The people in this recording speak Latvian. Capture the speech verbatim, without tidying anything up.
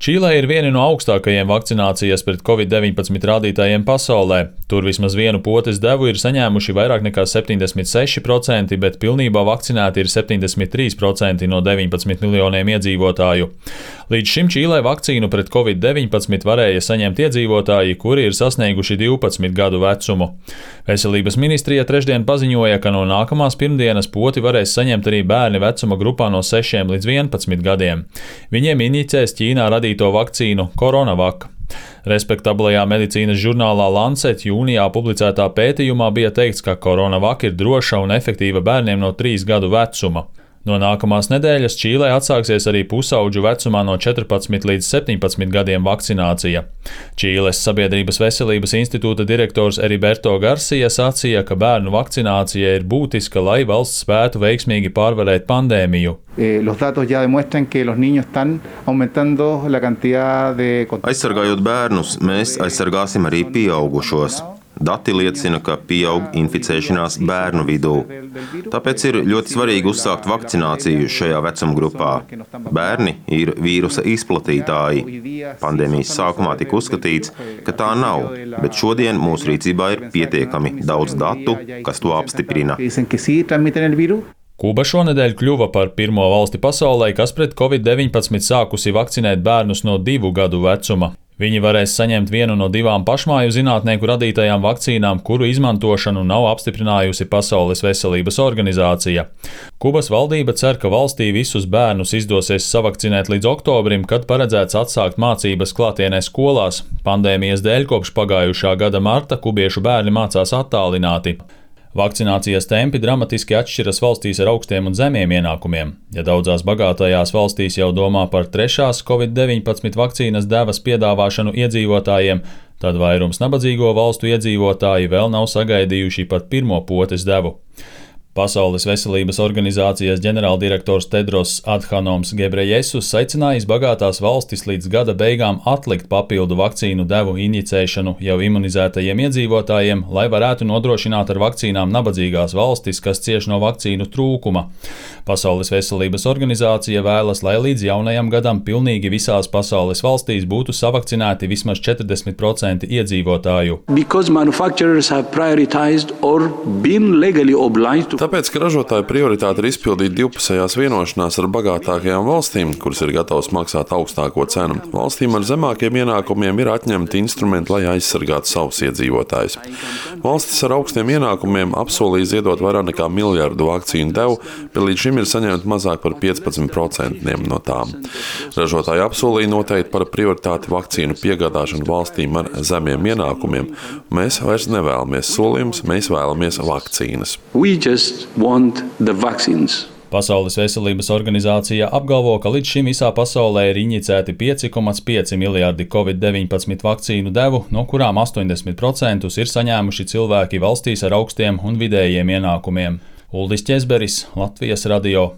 Čīlē ir viena no augstākajiem vakcinācijas pret covid deviņpadsmit rādītājiem pasaulē. Tur vismaz vienu potes devu ir saņēmuši vairāk nekā septiņdesmit seši procenti, bet pilnībā vakcinēti ir septiņdesmit trīs procenti no deviņpadsmit miljoniem iedzīvotāju. Līdz šim Čīlē vakcīnu pret covid deviņpadsmit varēja saņemt iedzīvotāji, kuri ir sasnieguši divpadsmit gadu vecumu. Veselības ministrija trešdien paziņoja, ka no nākamās pirmdienas poti varēs saņemt arī bērni vecuma grupā no sešiem līdz vienpadsmit gadiem. Viņiem inicēs Ķīnā radīto vakcīnu Coronavac. Respektablajā medicīnas žurnālā Lancet jūnijā publicētā pētījumā bija teikts, ka Coronavac ir droša un efektīva bērniem no trīs gadu vecuma. No nākamās nedēļas Čīlē atsāksies arī pusauģu vecumā no četrpadsmit līdz septiņpadsmit gadiem vakcinācija. Čīles Sabiedrības veselības institūta direktors Heriberto Garcia sacīja, ka bērnu vakcinācija ir būtiska, lai valsts spētu veiksmīgi pārvarēt pandēmiju. Aizsargājot bērnus, mēs aizsargāsim arī pieaugušos. Dati liecina, ka pieaug inficēšanās bērnu vidū. Tāpēc ir ļoti svarīgi uzsākt vakcināciju šajā vecumgrupā. Bērni ir vīrusa izplatītāji. Pandēmijas sākumā tika uzskatīts, ka tā nav, bet šodien mūsu rīcībā ir pietiekami daudz datu, kas to apstiprina. Kuba šonedēļ kļuva par pirmo valsti pasaulē, kas pret covid deviņpadsmit sākusi vakcinēt bērnus no divu gadu vecuma. Viņi varēs saņemt vienu no divām pašmāju zinātnieku radītajām vakcīnām, kuru izmantošanu nav apstiprinājusi Pasaules veselības organizācija. Kubas valdība cer, ka valstī visus bērnus izdosies savakcinēt līdz oktobrim, kad paredzēts atsākt mācības klātienē skolās. Pandēmijas dēļ kopš pagājušā gada marta kubiešu bērni mācās attālināti. Vakcinācijas tempi dramatiski atšķiras valstīs ar augstiem un zemiem ienākumiem. Ja daudzās bagātajās valstīs jau domā par trešās covid deviņpadsmit vakcīnas devas piedāvāšanu iedzīvotājiem, tad vairums nabadzīgo valstu iedzīvotāji vēl nav sagaidījuši pat pirmo potes devu. Pasaules veselības organizācijas ģenerāldirektors Tedros Adhanoms Gebrejesus aicinājis bagātās valstis līdz gada beigām atlikt papildu vakcīnu devu inicēšanu jau imunizētajiem iedzīvotājiem, lai varētu nodrošināt ar vakcīnām nabadzīgās valstis, kas cieš no vakcīnu trūkuma. Pasaules veselības organizācija vēlas, lai līdz jaunajam gadam pilnīgi visās pasaules valstīs būtu savakcinēti vismaz četrdesmit procenti iedzīvotāju. Tāpēc, ka ražotāju prioritāte ir izpildīt divpusējās vienošanās ar bagātākajām valstīm, kuras ir gatavas maksāt augstāko cenu. Valstīm ar zemākiem ienākumiem ir atņemti instrumenti, lai aizsargātu savus iedzīvotājus. Valstis ar augstiem ienākumiem apsolīja ziedot vairāk nekā miljardu vakcīnu devu, bet līdz šim ir saņemti mazāk par piecpadsmit procentiem no tām. Ražotāji apsolīja noteikti par prioritāti vakcīnu piegādāšanu valstīm ar zemiem ienākumiem. Mēs vairs nevēlamies solījumus, mēs vēlamies vakcīnas. Pasaules veselības organizācija apgalvo, ka līdz šim visā pasaulē ir inicēti pieci komats pieci miljardi covid deviņpadsmit vakcīnu devu, no kurām astoņdesmit procentus ir saņēmuši cilvēki valstīs ar augstiem un vidējiem ienākumiem. Uldis Ķezberis, Latvijas radio.